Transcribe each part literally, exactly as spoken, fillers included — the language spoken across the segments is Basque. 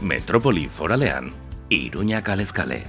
Metropoli foralean, Iruña kalez kale.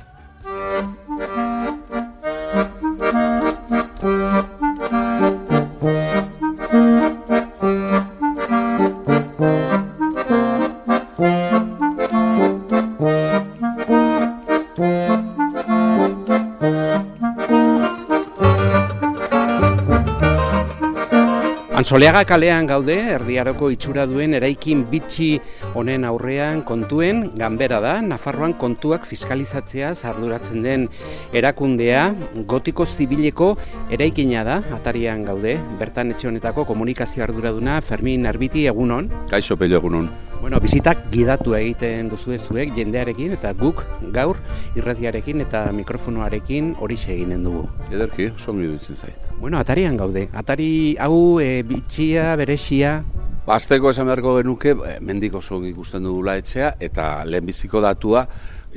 Antsoleaga kalean gaude, erdiaroko itxura duen eraikin bitxi honen aurrean kontuen ganbera da, Nafarroan kontuak fiskalizatzeaz arduratzen den erakundea, gotiko zibileko eraikina da, atarian gaude, bertan etxe honetako komunikazio arduraduna Fermin Arbiti, egunon. Kaixo Pello, egunon. Bueno, bizitak gidatu egiten duzu zuek jendearekin eta guk gaur irratiarekin eta mikrofonoarekin horixe eginen dugu. Ederki, songi dutzen zait. Bueno, atarian gaude. Atari hau e, bitxia, beresia. Azteko esan beharko genuke, e, mendiko songi ikusten dugula etxea eta lehenbiziko datua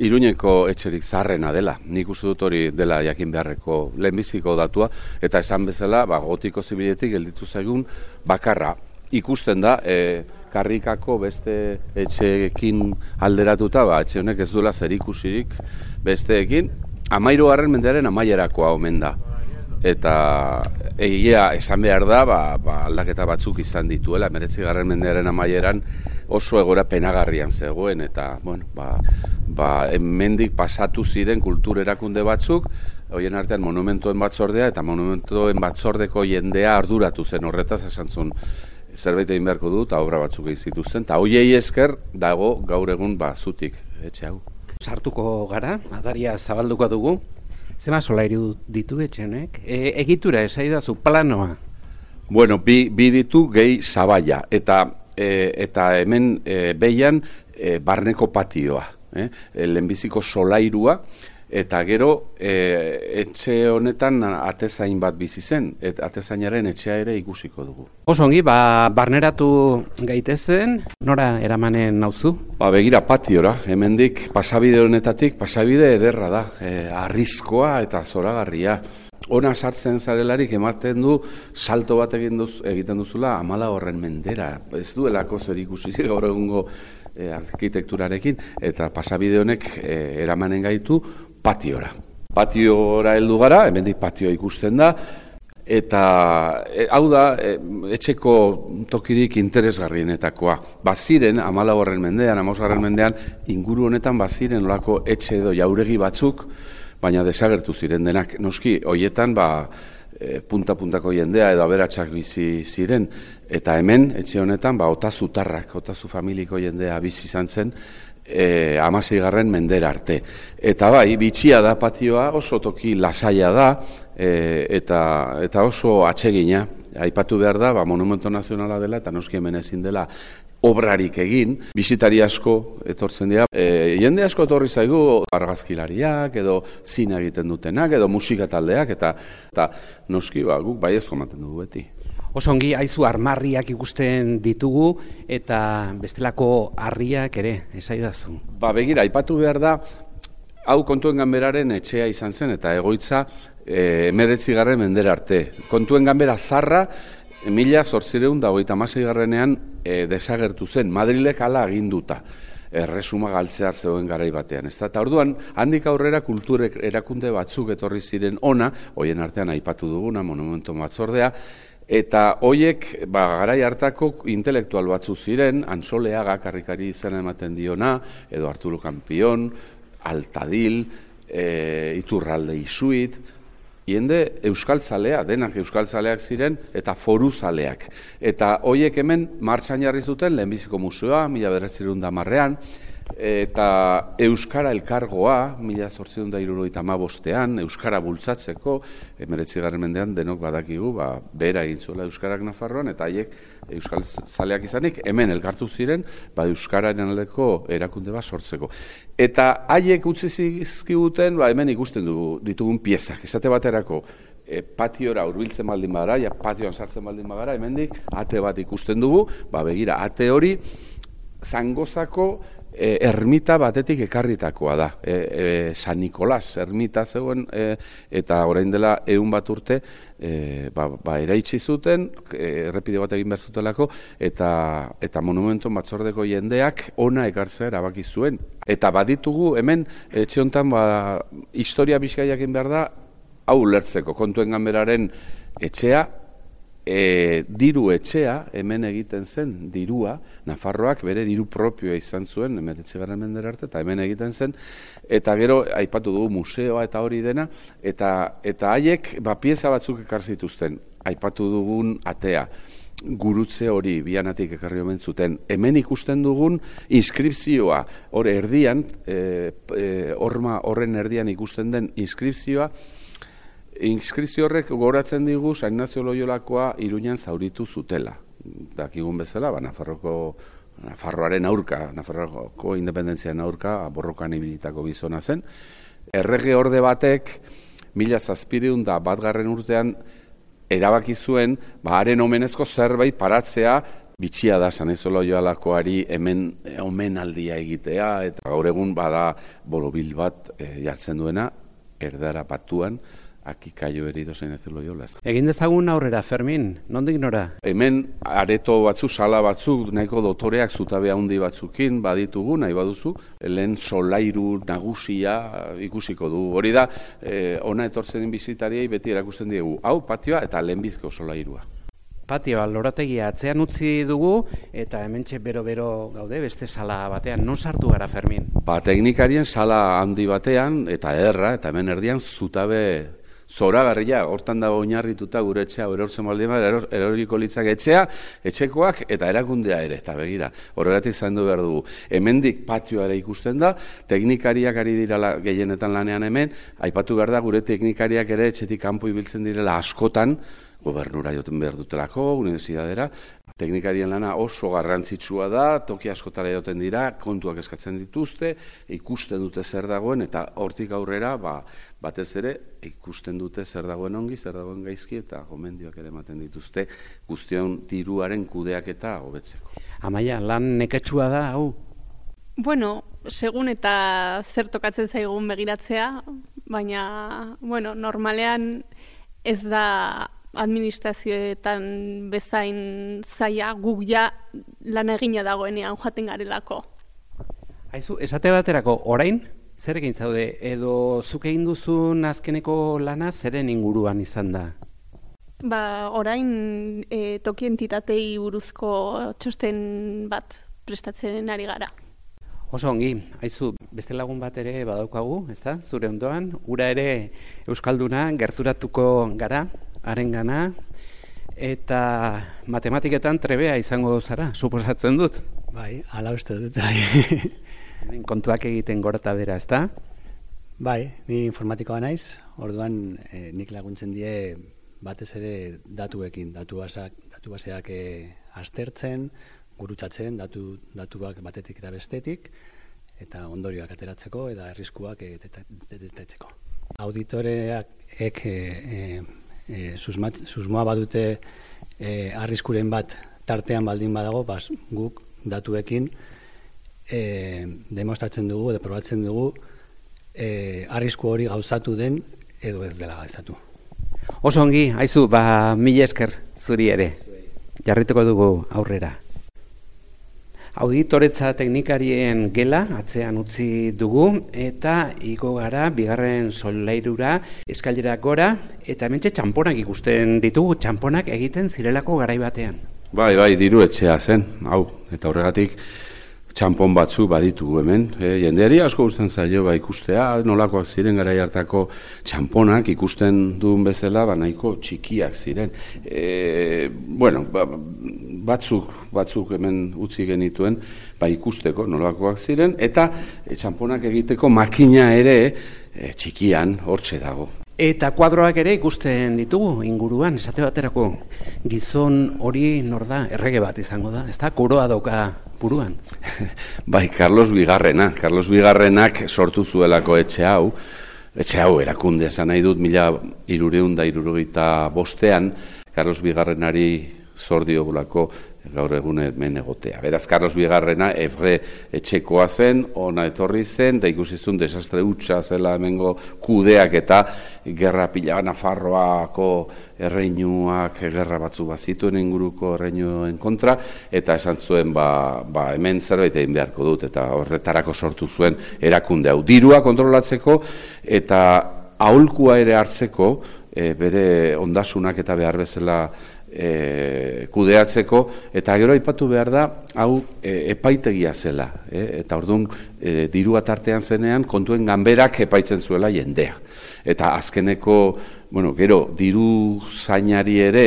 Iruñeko etxerik zaharrena dela. Nik uste dut hori dela jakin beharreko lehenbiziko datua eta esan bezala, ba, gotiko zibiletik gelditu zaigun bakarra. Ikusten da, e, karrikako beste etxeekin alderatuta, ba, etxe honek ez duela zerikusirik besteekin, hamahirugarren mendearen amaierakoa omen da. Eta egia esan behar da, ba, ba, aldaketa batzuk izan dituela, hemeretzigarren mendearen amaieran oso egoera penagarrian zegoen, eta bueno, ba, ba, hemendik pasatu ziren kultur erakunde batzuk, horien artean monumentuen batzordea, eta monumentuen batzordeko jendea arduratu zen horretaz, esan zuen, zerbait egin beharko du, eta obra batzuk egin zituzten, eta hoiei esker dago gaur egun ba, zutik etxe hau. Sartuko gara, ataria zabalduko dugu. Zema solairu ditu etxe honek? E, egitura esaidazu planoa? Bueno, bi, bi ditu gehi zabaia, eta, e, eta hemen e, behian e, barneko patioa, eh? E, lehenbiziko solairua, eta gero e, etxe honetan atezain bat bizi zen, eta atezainaren etxea ere ikusiko dugu. Oso ongi, ba, barneratu gaitezen, nora eramanen nauzu? Ba, begira patiora, hemendik pasabide honetatik, pasabide ederra da, e, arrizkoa eta zoragarria. Ona sartzen zarelarik ematen du salto bat egin duz, egiten duzula amala horren mendera. Ez duelako zer ikusi gaur egungo e, arkitekturarekin, eta pasabide honek e, eramanen gaitu patiora. Patiora heldu gara, hemendik patioa ikusten da, eta e, hau da e, etxeko tokirik interesgarrienetakoa. Baziren, amala horren mendean, amosgarren mendean, inguru honetan baziren olako etxe edo jauregi batzuk, baina desagertu ziren denak. Noski, hoietan, ba, e, punta-puntako jendea edo aberatsak bizi ziren, eta hemen, etxe honetan, ba, otazu tarrak, otazu familiko jendea bizi izan zen, E, amaseigarren mendera arte. Eta bai, bitxia da patioa, oso toki lasaia da, e, eta, eta oso atsegina. Aipatu behar da, ba, monumento nazionala dela, eta noski hemen ezin dela obrarik egin. Bisitari asko etortzen dira. E, jende asko etorri zaigu argazkilariak, edo zina egiten dutenak, edo musika taldeak, eta, eta noski ba, guk baiezko ematen dugu beti. Oso ongi, haizu armarriak ikusten ditugu eta bestelako harriak ere, esaidazu. Ba, begira, aipatu behar da, hau kontuen ganberaren etxea izan zen eta egoitza e, emeretzigarren mendera arte. Kontuen ganbera zarra, mila zortzireun da hogeita hamaseigarrenean e, desagertu zen, Madrilek hala aginduta. Erresuma galtzear zegoen garai batean. Ez da, eta orduan, handik aurrera kulturek erakunde batzuk etorri ziren ona, hoien artean aipatu duguna, monumentu batzordea, eta hoiek, ba, garai hartako intelektual batzu ziren, Antsoleaga karrikari izena ematen diona, edo Arturo Kampion, Altadil, e, Iturralde Isuit, jende euskal zalea, denak euskal zaleak ziren, eta foru zaleak. Eta hoiek hemen martxan jarri zuten, lehenbiziko museoa, mila bederatziehun eta hamarrean, eta Euskara Elkargoa, mila zortziehun eta hirurogeita hamabostean, Euskara bultzatzeko, hemeretzigarren mendean denok badakigu, ba, behera egin zuela Euskarak Nafarroan, eta haiek euskal zaleak izanik, hemen elkartu ziren, ba, Euskararen aldeko erakunde bat sortzeko. Eta haiek utzi zizkiguten, ba, hemen ikusten dugu, ditugun piezak, esate baterako, e, patiora hurbiltzen baldin bagara, ja patioan sartzen baldin bagara, hemendik ate bat ikusten dugu, ba, begira, ate hori, Zangozako e, ermita batetik ekarritakoa da. E, e, San Nikolas ermita zegoen e, eta orain dela ehun bat urte e, ba, ba eraitsi zuten, e, errepide bat egin behar zutelako, eta, eta monumentu batzordeko jendeak ona ekartzea erabaki zuen. Eta baditugu hemen etxe honetan ba, historia bizkaiak egin behar da, hau ulertzeko, Kontuen Ganberaren etxea, E, diru etxea hemen egiten zen, dirua, Nafarroak bere diru propioa izan zuen, hemeretzigarren mendera arte, eta hemen egiten zen, eta gero aipatu dugu museoa eta hori dena, eta eta haiek ba, pieza batzuk ekar zituzten, aipatu dugun atea, gurutze hori bianatik ekarri omen zuten. Hemen ikusten dugun inskripzioa, hor erdian, e, e, horma horren erdian ikusten den inskripzioa, inskripzio horrek gogoratzen digu San Ignacio Loiolakoa Iruñan zauritu zutela. Dakigun bezala, ba, Nafarroko, Nafarroaren aurka, Nafarroko independentziaren aurka, borrokan ibilitako gizona zen. Errege orde batek, mila zazpireun da batgarren urtean, erabaki zuen, ba, haren omenezko zerbait paratzea, bitxia da San Ignacio Loiolakoari hemen omenaldia egitea, eta gaur egun bada borobil bat e, jartzen duena, erdara batuan, aki kaio erido San Ignacio Loyola. Egin dezagun aurrera, Fermin, nondik nora? Hemen areto batzuk, sala batzuk, nahiko dotoreak zutabe handi batzukin baditugu, nahi baduzu, lehen solairu nagusia ikusiko du. Hori da, eh, ona etortzen bizitariei beti erakusten diegu, hau patioa eta lehenbizko solairua. Patioa, lorategia atzean utzi dugu, eta hementxe bero-bero gaude, beste sala batean. Non sartu gara, Fermin? Ba, teknikarien sala handi batean, eta ederra, eta hemen erdian zutabe zoragarria, hortan dago oinarrituta gure etxea, erortzen baldin bat, eror, eroriko litzak etxea, etxekoak eta erakundea ere, eta begira, horregatik zaindu behar dugu. Hemendik patioa ikusten da, teknikariak ari dira gehienetan lanean hemen, aipatu behar da gure teknikariak ere etxetik kanpo ibiltzen direla askotan, gobernura joten behar dutelako, unibertsitatera, teknikarien lana oso garrantzitsua da, toki askotara joten dira, kontuak eskatzen dituzte, ikusten dute zer dagoen, eta hortik aurrera, ba, batez ere, ikusten dute zer dagoen ongi, zer dagoen gaizki, eta gomendioak ere ematen dituzte, guztion diruaren kudeak eta hobetzeko. Amaia, lan neketsua da, hau? Bueno, segun eta zer tokatzen zaigun begiratzea, baina, bueno, normalean ez da administrazioetan bezain zaila, guk ja lan egina dagoenean joaten garelako. Haizu, esate baterako, orain, zer egin zaude, edo zuk egin duzun azkeneko lana zeren inguruan izan da? Ba, orain e, toki entitatei buruzko txosten bat prestatzen ari gara. Oso ongi, haizu, beste lagun bat ere badaukagu, ezta? Zure ondoan, ura ere euskalduna gerturatuko gara, harengana, eta matematiketan trebea izango zara, suposatzen dut. Bai, hala uste dut. Bai. Kontuak egiten gorata bera, ezta? Bai, ni informatikoa naiz, orduan eh, nik laguntzen die batez ere datuekin, datu baseak, datu baseak eh, aztertzen, gurutzatzen, datu, datuak batetik eta bestetik, eta ondorioak ateratzeko eta arriskuak detektatzeko. Auditoreak ek e, e, susmat, susmoa badute e, arriskuren bat tartean baldin badago, bas, guk datuekin e, demostratzen dugu edo probatzen dugu e, arrisku hori gauzatu den edo ez dela gauzatu. Oso ongi, haizu, ba, mila esker zuri ere. Jarrituko dugu aurrera. Auditoretza teknikarien gela atzean utzi dugu eta igo gara bigarren solairura eskailerak gora eta hementxe txanponak ikusten ditugu, txanponak egiten zirelako garai batean. Bai, bai, diru etxea zen, hau, eta horregatik txanpon batzu baditu hemen. E, jendeari asko gusten zaio ba, ikustea, nolakoak ziren garai hartako txanponak ikusten duen bezala, ba, nahiko txikiak ziren. E, bueno, ba, batzuk, batzuk hemen utzi genituen, ba, ikusteko nolakoak ziren, eta e, txanponak egiteko makina ere e, txikian hortxe dago. Eta kuadroak ere ikusten ditugu inguruan, esate baterako gizon hori nor da, errege bat izango da, ezta? Koroa dauka buruan. Bai, Carlos Bigarrena, Carlos Bigarrenak sortu zuelako etxe hau, etxe hau erakunde esan nahi dut mila hirureun da hirurogeita bostean, Carlos Bigarrenari zor diogulako gaur egun hemen egotea. Beraz, Carlos Bigarrena Evre etxekoa zen, ona etorri zen, da ikusizun desastre hutsa zela hemengo kudeak eta gerra pila Nafarroako erreinuak gerra batzu bazituen inguruko erreinuen kontra, eta esan zuen ba, ba hemen zerbait egin beharko dut, eta horretarako sortu zuen erakunde hau. Dirua kontrolatzeko eta aholkua ere hartzeko, e, bere ondasunak eta behar bezala E, kudeatzeko, eta gero aipatu behar da, hau e, epaitegia zela, e, eta orduan e, dirua tartean zenean kontuen ganberak epaitzen zuela jendea. Eta azkeneko, bueno, gero diru zainari ere,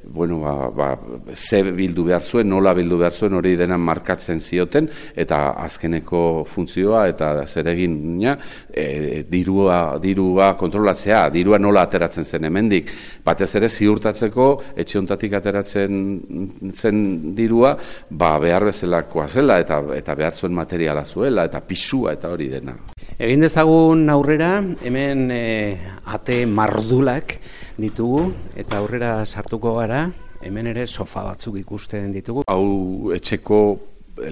bueno, ba, ba, ze bildu behar zuen, nola bildu behar zuen, hori dena markatzen zioten, eta azkeneko funtzioa eta zeregina e, dirua, dirua kontrolatzea, dirua nola ateratzen zen hemendik, batez ere ziurtatzeko etxe hontatik ateratzen zen dirua, ba, behar bezalakoa zela, eta, eta behar zuen materiala zuela, eta pisua, eta hori dena. Egin dezagun aurrera, hemen e, ate mardulak ditugu, eta aurrera sartuko gara, hemen ere sofa batzuk ikusten ditugu. Hau etxeko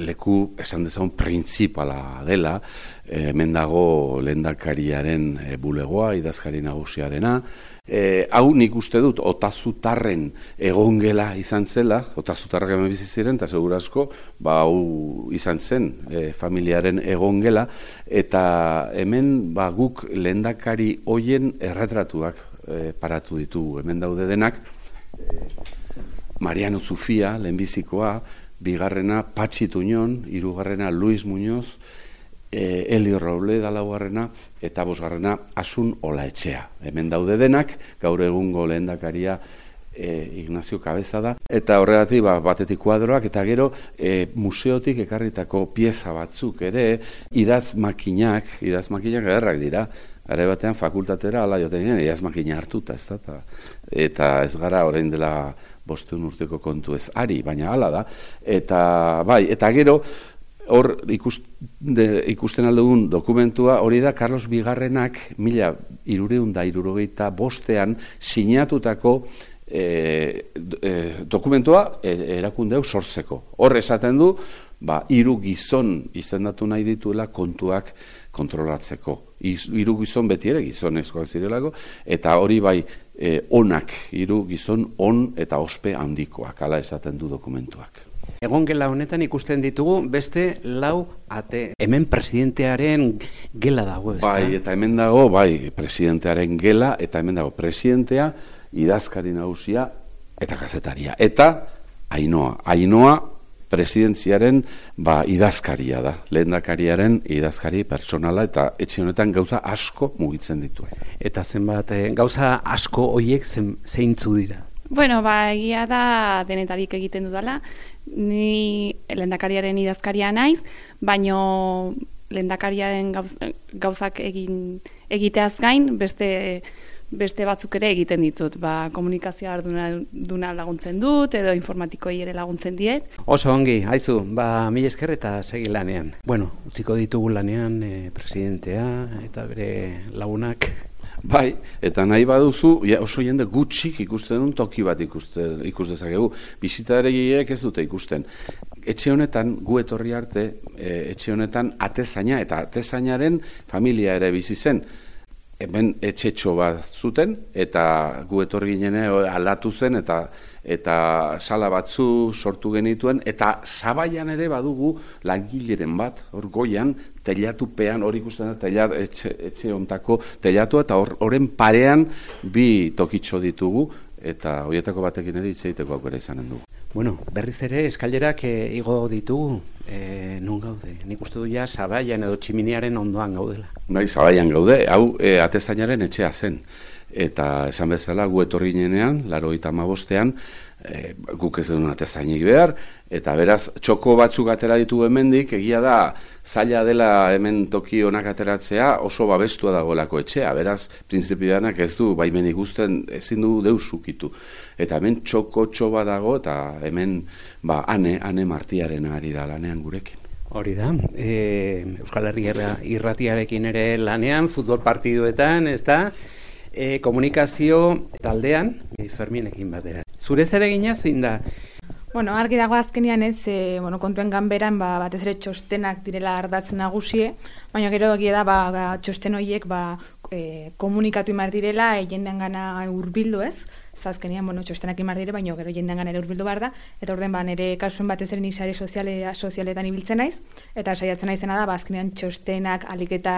leku esan dezagun printzipala dela, hemen dago lehendakariaren bulegoa, idazkari nagusiarena. E, hau nik uste dut Otazutarren egongela izan zela, Otazutarrak hemen bizi ziren, eta segurazko ba, hau izan zen e, familiaren egongela, eta hemen ba, guk lehendakari hoien erretratuak e, paratu ditugu, hemen daude denak, e, Mariano Zufia, lehenbizikoa, bigarrena Patxi Tuñon, hirugarrena Luis Muñoz, e, Eli Robleda laugarrena, eta bosgarrena Asun Olaetxea. Hemen daude denak, gaur egungo lehendakaria e, Ignacio Cabeza da, eta horregatik ba, batetik kuadroak, eta gero e, museotik ekarritako pieza batzuk ere, idaz makinak, idaz makinak ederrak dira, gara batean fakultatera ala joten ginen, idaz makina hartuta, ez da, eta ez gara orain dela bosteun urteko kontu ez ari, baina hala da, eta bai, eta gero, hor ikusten, ikusten aldugun dokumentua, hori da Carlos Bigarrenak mila hirureun eta hirurogeita bostean sinatutako e, e, dokumentua e, erakunde hau sortzeko. Hor esaten du, ba, hiru gizon izendatu nahi dituela kontuak kontrolatzeko. Hiru gizon beti ere gizonezkoak zirelako, eta hori bai e, onak, hiru gizon on eta ospe handikoak, hala esaten du dokumentuak. Egon gela honetan ikusten ditugu beste lau ate. Hemen presidentearen gela dago, ez da? Bai, eta hemen dago, bai, presidentearen gela, eta hemen dago presidentea, idazkari nagusia eta kazetaria. Eta Ainhoa, Ainhoa presidentziaren ba, idazkaria da, lehendakariaren idazkari personala, eta etxe honetan gauza asko mugitzen dituen. Eta zenbat, eh, gauza asko hoiek zeintzu dira? Bueno, ba, egia da denetarik egiten dudala. Ni lehendakariaren idazkaria naiz, baino lehendakariaren gauz, gauzak egin egiteaz gain, beste beste batzuk ere egiten ditut. Ba, komunikazioa arduna laguntzen dut, edo informatikoi ere laguntzen diet. Oso ongi, haizu, ba, mila esker eta segi lanean. Bueno, utziko ditugu lanean eh, presidentea eta bere lagunak. Bai, eta nahi baduzu, ja, oso jende gutxik ikusten duen toki bat ikusten, ikus dezakegu. Bisitareiek ez dute ikusten. Etxe honetan, gu etorri arte, e, etxe honetan atezaina, eta atezainaren familia ere bizi zen. Hemen etxetxo bat zuten, eta gu etorri ginen aldatu zen, eta eta sala batzu sortu genituen, eta Sabaian ere badugu langileren bat, hor goian, telatupean, hor ikusten da, telat, etxe, etxe ontako telatu, eta horren parean bi tokitxo ditugu, eta horietako batekin ere hitz egiteko aukera izanen dugu. Bueno, berriz ere eskailerak e, igo ditugu, e, non gaude? Nik uste du ja Sabaian edo Tximiniaren ondoan gaudela. Bai, Sabaian gaude, hau e, atezainaren etxea zen. Eta esan bezala gu etorri ginenean, laurogeita hamabostean, e, guk ez duen atezainik behar, eta beraz txoko batzuk atera ditugu hemendik, egia da zaila dela hemen toki onak ateratzea, oso babestua dagoelako etxea, beraz printzipioanak ez du baimen ikusten, ezin du deus ukitu. Eta hemen txoko txoba dago, eta hemen ba, ane, ane martiaren ari da lanean gurekin. Hori da, e, Euskal Herria irratiarekin ere lanean, futbol partiduetan, ez da? E, komunikazio taldean e, Ferminekin batera. Zure zeregina zein da? Bueno, argi dago azkenean ez, e, bueno, kontuen ganberan ba, batez ere txostenak direla ardatz nagusie, baina gero egia da ba, txosten horiek ba, e, komunikatu imar direla, e, jendean gana hurbildu ez, zazkenean, bueno, txostenak imar dire, baina gero jendean gana ere hurbildu behar da, eta orden ba, nire kasuen batez ere nik sare soziale, sozialetan ibiltzen naiz, eta saiatzen naizena da, ba, azkenean txostenak alik eta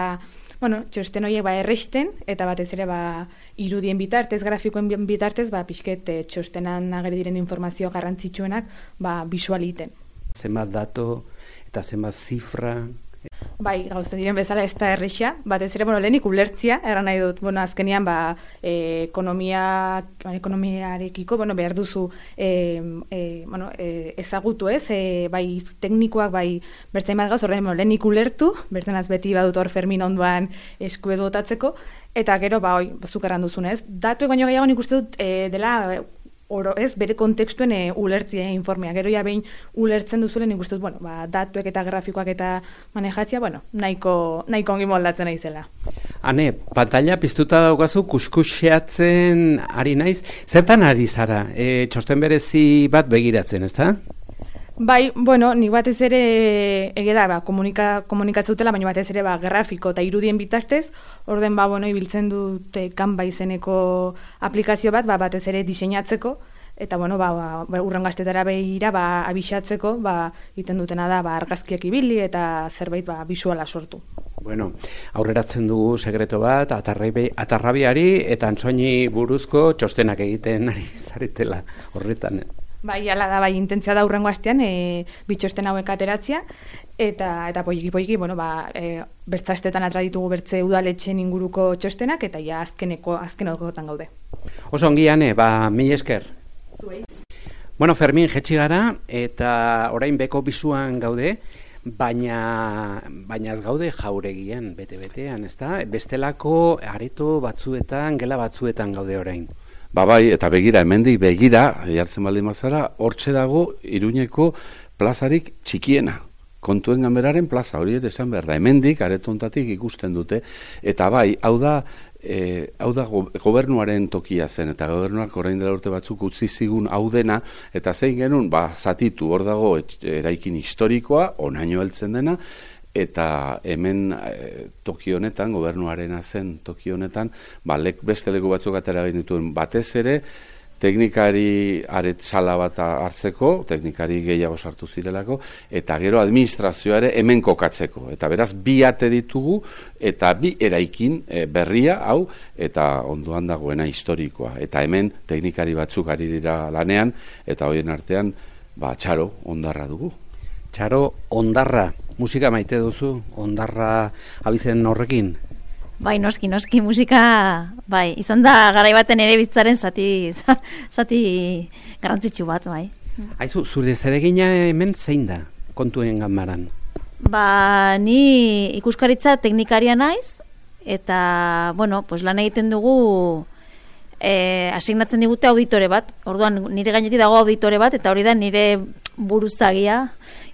bueno, txosten horiek ba erresten, eta batez ere ba irudien bitartez, grafikoen bitartez, ba pixket e, txostenan ageri diren informazio garrantzitsuenak ba bisualiten. Zenbat dato eta zenbat zifra? Bai, gauzen diren bezala ez da erresa, batez ere, bueno, lehenik ulertzia, erran nahi dut, bueno, azkenean, ba, e, ekonomia, ekonomiarekiko, bueno, behar duzu, e, e, bueno, e, ezagutu ez, e, bai, teknikoak, bai, bertzain bat gauz, horren, bueno, lehenik ulertu, bertzenaz beti badut hor Fermin ondoan eskuedu otatzeko, eta gero, ba, oi, zukarran duzunez, datuek baino gehiago nik uste dut, e, dela, oro, ez, bere kontekstuen e, ulertzia informea. Gero ja behin ulertzen duzuelen nik uste dut, bueno, ba, datuek eta grafikoak eta manejatzia, bueno, nahiko, nahiko ongi moldatzen naizela. Hane, pantalla piztuta daukazu kuskuxeatzen ari naiz. Zertan ari zara? E, txosten berezi bat begiratzen, ezta? Bai, bueno, nik batez ere ege da, ba, komunika, komunikatzutela, baina batez ere ba, grafiko eta irudien bitartez, orden ba, bueno, ibiltzen dute Canva izeneko aplikazio bat, ba, batez ere diseinatzeko, eta bueno, ba, ba, urren gaztetara behira ba, abixatzeko, ba, iten dutena da, ba, argazkiak ibili eta zerbait ba, bisuala sortu. Bueno, aurreratzen dugu sekreto bat, atarrabi, atarrabiari eta antsoini buruzko txostenak egiten ari zaretela horretan. Bai, ala da, bai, intentzioa da hurrengo astean, e, bitxosten hauek ateratzea, eta eta poiki poiki, bueno, ba, e, bertzastetan atra ditugu bertze udaletxen inguruko txostenak, eta ja azkeneko, azkenekotan gaude. Oso ongi, Ane, ba, mil esker. Zuei. Bueno, Fermin, jetxi gara, eta orain beko bisuan gaude, baina, baina ez gaude jauregian, bete-betean, ezta? Bestelako areto batzuetan, gela batzuetan gaude orain. Ba bai, eta begira, hemendik begira, jartzen baldin mazara, hortxe dago Iruñeko plazarik txikiena. Kontuen ganberaren plaza, hori ere esan behar da. Hemendik, aretontatik ikusten dute. Eta bai, hau da, e, hau da go, gobernuaren tokia zen, eta gobernuak orain dela urte batzuk utzi zigun hau dena, eta zein genuen, ba, zatitu, hor dago eraikin historikoa, onaino heltzen dena, eta hemen e, toki honetan, gobernuarena zen toki honetan, ba, lek, beste leku batzuk atera dituen batez ere, teknikari aretzala bat hartzeko, teknikari gehiago sartu zirelako, eta gero administrazioa ere hemen kokatzeko. Eta beraz, bi ate ditugu, eta bi eraikin e, berria, hau, eta ondoan dagoena historikoa. Eta hemen teknikari batzuk ari dira lanean, eta horien artean, ba, txaro, ondarra dugu. Txaro, ondarra. Musika maite duzu, ondarra abizen horrekin? Bai, noski, noski, musika, bai, izan da garai baten ere bizitzaren zati, zati garrantzitsu bat, bai. Aizu, zure zeregina hemen zein da, kontuen ganbaran? Ba, ni ikuskaritza teknikaria naiz, eta, bueno, pues lan egiten dugu, eh, asignatzen digute auditore bat, orduan nire gainetik dago auditore bat, eta hori da nire buruzagia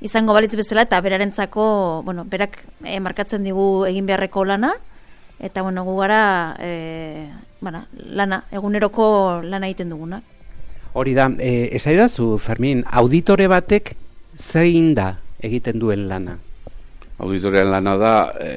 izango balitz bezala, eta berarentzako, bueno, berak eh, markatzen digu egin beharreko lana, eta bueno, gu gara e, bueno, lana, eguneroko lana egiten duguna. Hori da, e, esaidazu, Fermin, auditore batek zein da egiten duen lana? Auditorean lana da e,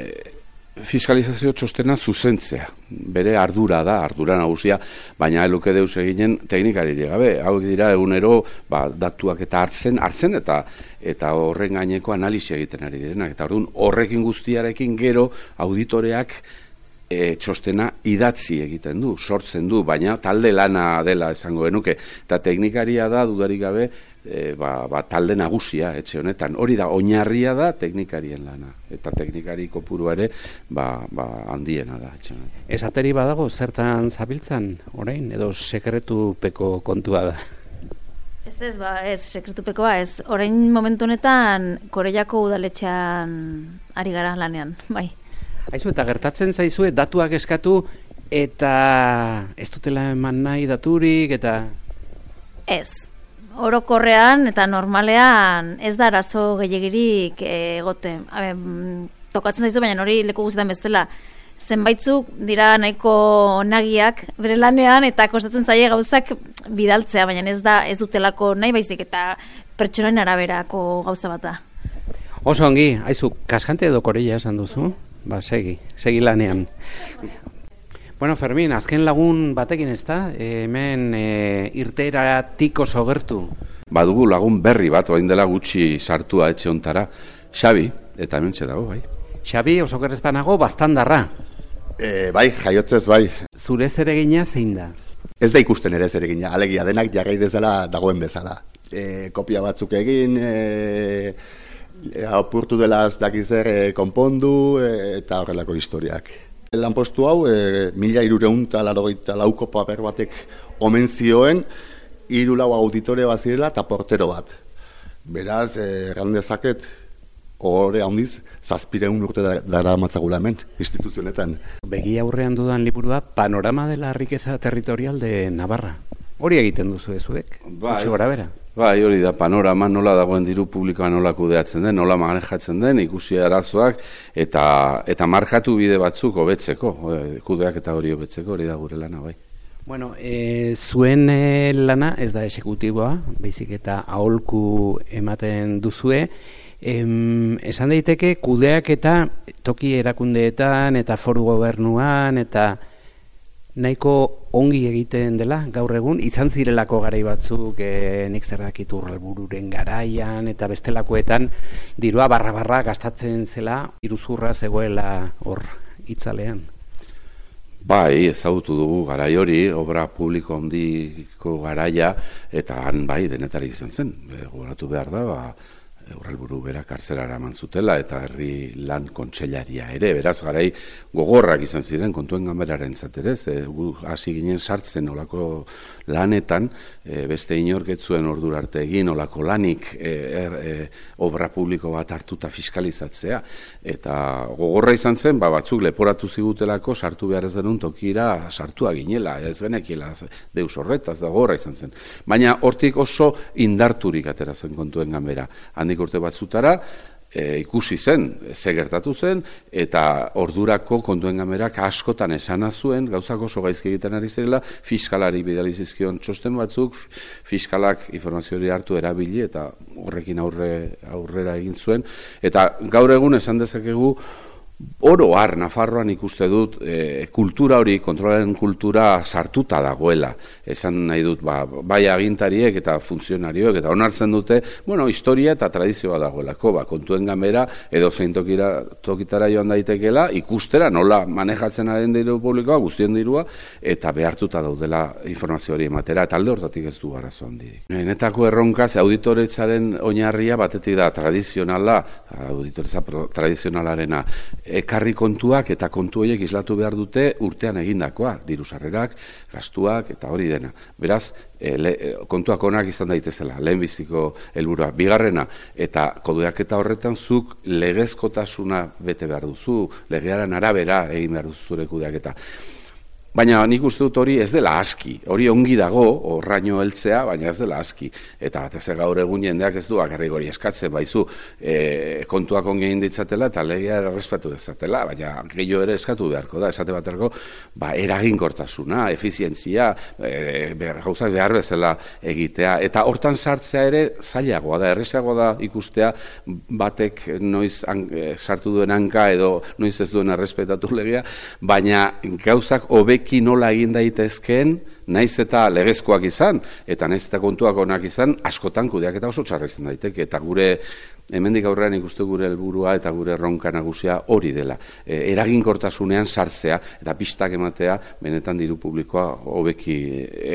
fiskalizazio txostena zuzentzea. Bere ardura da, ardura nagusia, baina eluke deus eginen teknikari gabe. Hauek dira egunero ba, datuak eta hartzen, hartzen eta eta horren gaineko analisi egiten ari direnak. Eta orduan horrekin guztiarekin gero auditoreak E, txostena idatzi egiten du, sortzen du, baina talde lana dela esango genuke, eta teknikaria da dudarik gabe e, ba, ba, talde nagusia etxe honetan, hori da, oinarria da teknikarien lana, eta teknikari kopurua ere ba, ba, handiena da etxe honetan. Esateri badago zertan zabiltzan orain, edo sekretupeko kontua da? Ez ez, ba, ez, sekretupekoa ez, orain momentu honetan Koreiako udaletxean ari gara lanean, bai. Aizu, eta gertatzen zaizue datuak eskatu eta ez dutela eman nahi daturik eta... Ez, orokorrean eta normalean ez da arazo gehiagirik egote. Habe, tokatzen zaizu, baina hori leku guztietan bezala zenbaitzuk dira nahiko nagiak bere lanean eta kostatzen zaie gauzak bidaltzea, baina ez da ez dutelako nahi baizik eta pertsonaien araberako gauza bat da. Oso ongi, haizu, kaskante edo koreia esan duzu? Ba, segi, segi lanean. Bueno, Fermin, azken lagun batekin ez da? E, hemen e, irteeratik oso gertu. Badugu lagun berri bat, orain dela gutxi sartua etxe hontara, Xabi, eta hemen dago, bai. Xabi, oso gerrezpanago, bastandarra. E, bai, jaiotzez bai. Zure zeregina zein da? Ez da ikusten ere zeregina, alegia denak jarrai dezala dagoen bezala. E, kopia batzuk egin, e, e, apurtu dela ez dakizer e, konpondu e, eta horrelako historiak. Lanpostu hau, e, mila irureunta larogeita lauko paper batek omen zioen, hiru lau auditore bat zirela eta portero bat. Beraz, erran dezaket, horre handiz, zazpireun urte dara matzagula hemen, instituzionetan. Begi aurrean dudan liburua, Panorama de la riqueza territorial de Navarra. Hori egiten duzu ezuek? Bai, gora bera. Bai, hori da, panorama nola dagoen diru publikoa nola kudeatzen den, nola manejatzen den, ikusi arazoak, eta, eta markatu bide batzuk hobetzeko, kudeak eta hori hobetzeko, hori da gure lana, bai. Bueno, e, zuen e, lana ez da esekutiboa, baizik eta aholku ematen duzue. Em, esan daiteke kudeak eta toki erakundeetan eta foru gobernuan eta nahiko ongi egiten dela gaur egun, izan zirelako garai batzuk e, nik zer dakit Urralbururen garaian eta bestelakoetan dirua barra-barra gastatzen zela, iruzurra zegoela hor itzalean. Bai, ezagutu dugu garai hori, obra publiko handiko garaia, eta han bai denetari izan zen. E, gogoratu behar da, ba, Urralburu bera kartzelara eman zutela eta herri lan kontseilaria ere, beraz garai gogorrak izan ziren kontuen ganberaren zaterez, e, hasi ginen sartzen olako lanetan, e, beste inorketzuen ordura arte egin olako lanik e, er, e, obra publiko bat hartuta fiskalizatzea, eta gogorra izan zen, ba, batzuk leporatu zigutelako sartu behar ez denun tokira sartua ginela, ez genekiela deus horretaz da gogorra izan zen. Baina hortik oso indarturik atera zen kontuen ganbera. Handik urte batzutara, e, ikusi zen, ze gertatu zen, eta ordurako kontuen ganberak askotan esana zuen, gauzak oso gaizki egiten ari zirela, fiskalari bidali zizkion txosten batzuk, fiskalak informazio hori hartu erabili, eta horrekin aurre, aurrera egin zuen, eta gaur egun esan dezakegu, oro har, Nafarroan ikuste dut, e, kultura hori, kontrolaren kultura sartuta dagoela. Esan nahi dut, ba, bai agintariek eta funtzionarioek, eta onartzen dute, bueno, historia eta tradizioa dagoelako, ba, kontuen ganbera, edo zein tokira, tokitara joan daitekela, ikustera nola manejatzen den diru publikoa, guztien dirua, eta behartuta daudela informazio hori ematera, eta alde hortatik ez du arazo handirik. Benetako erronka, ze auditoretzaren oinarria batetik da tradizionala, auditoretza tradizionalarena, ekarri kontuak eta kontu horiek islatu behar dute urtean egindakoa, diru sarrerak, gastuak eta hori dena. Beraz, e, le, kontuak onak izan daitezela, lehenbiziko helburua. Bigarrena, eta kudeaketa horretan zuk legezkotasuna bete behar duzu, legearen arabera egin behar duzu zure kudeaketa. Baina nik uste dut hori ez dela aski, hori ongi dago, horraino heltzea, baina ez dela aski. Eta batez gaur egun jendeak ez du bakarrik hori eskatzen, baizu e, kontuak ongi egin ditzatela eta legea errespatu dezatela, baina gehiago ere eskatu beharko da, esate baterako, ba, eraginkortasuna, efizientzia, e, gauzak behar bezala egitea. Eta hortan sartzea ere zailagoa da, errezagoa da ikustea batek noiz an, e, sartu duen hanka edo noiz ez duen errespetatu legea, baina gauzak hobek nola egin daitezkeen, naiz eta legezkoak izan, eta naiz eta kontuak onak izan, askotan kudeaketa oso txarra izan daiteke, eta gure, hemendik aurrean ikuste gure helburua eta gure erronka nagusia hori dela. E, eraginkortasunean sartzea, eta pistak ematea, benetan diru publikoa hobeki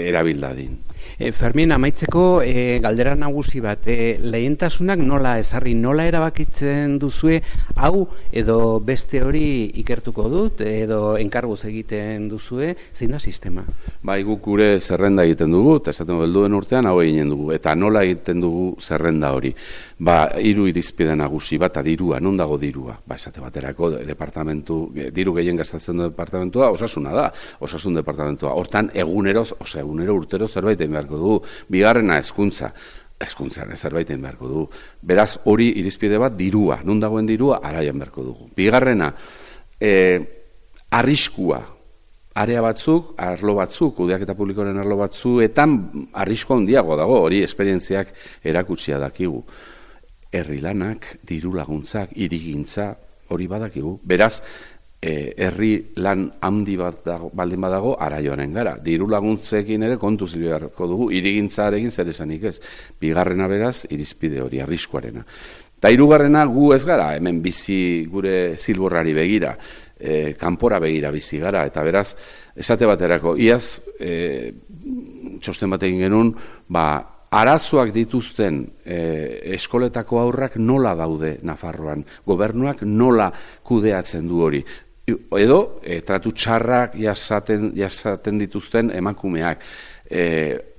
erabildadin. E, Fermin, amaitzeko e, galdera nagusi bat, e, lehentasunak nola ezarri, nola erabakitzen duzue, hau edo beste hori ikertuko dut, edo enkarguz egiten duzue, zein da sistema? Bai, guk gure zerrenda egiten dugu, eta esaten helduen urtean hau egiten dugu, eta nola egiten dugu zerrenda hori. Ba, hiru irizpide nagusi, bata dirua, non dago dirua? Ba, esate baterako departamentu, diru gehien gastatzen du departamentua, osasuna da, osasun departamentua. Hortan egunero, osea, egunero urtero zerbait egin beharko dugu. Bigarrena hezkuntza. Hezkuntzan zerbait egin beharko dugu. Beraz, hori irizpide bat dirua, non dagoen dirua, araian beharko dugu. Bigarrena, eh, arriskua, area batzuk, arlo batzuk, kudeaketa publikoaren arlo batzuetan arrisko handiago dago, hori esperientziak erakutsia dakigu. Herri lanak, diru laguntzak, hirigintza, hori badakigu. Beraz, E, herri lan handi bat dago, baldin badago, ara joanen gara. Diru laguntzekin ere kontu zilbeharko dugu, irigintzarekin zer esanik ez. Bigarrena beraz, irizpide hori, arriskuarena. Ta hirugarrena gu ez gara, hemen bizi gure zilborrari begira, e, kanpora begira bizi gara, eta beraz, esate baterako, iaz, e, txosten bat egin genuen, ba, arazoak dituzten e, eskoletako aurrak nola daude Nafarroan, gobernuak nola kudeatzen du hori. Edo, e, tratu txarrak jasaten, jasaten dituzten emakumeak. E,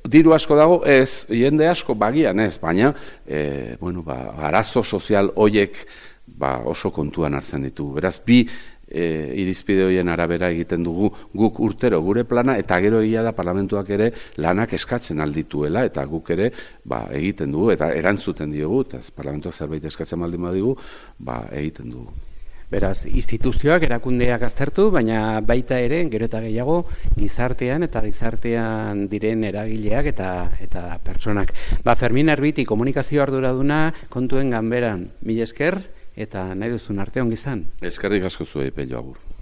diru asko dago, ez, jende asko bagian ez, baina e, bueno, ba, arazo sozial hoiek ba, oso kontuan hartzen ditu. Beraz, bi e, irizpide horien arabera egiten dugu guk urtero gure plana, eta gero egia da parlamentuak ere lanak eskatzen aldituela, eta guk ere ba, egiten dugu, eta erantzuten diogu, eta parlamentuak zerbait eskatzen baldin badigu, ba, egiten dugu. Beraz, instituzioak, erakundeak aztertu, baina baita ere, gero eta gehiago, gizartean eta gizartean diren eragileak eta eta pertsonak. Ba, Fermin Arbiti, komunikazio arduraduna kontuen ganberan, mila esker, eta nahi duzun arte ongi izan. Eskerrik asko zuei, Pello, agur.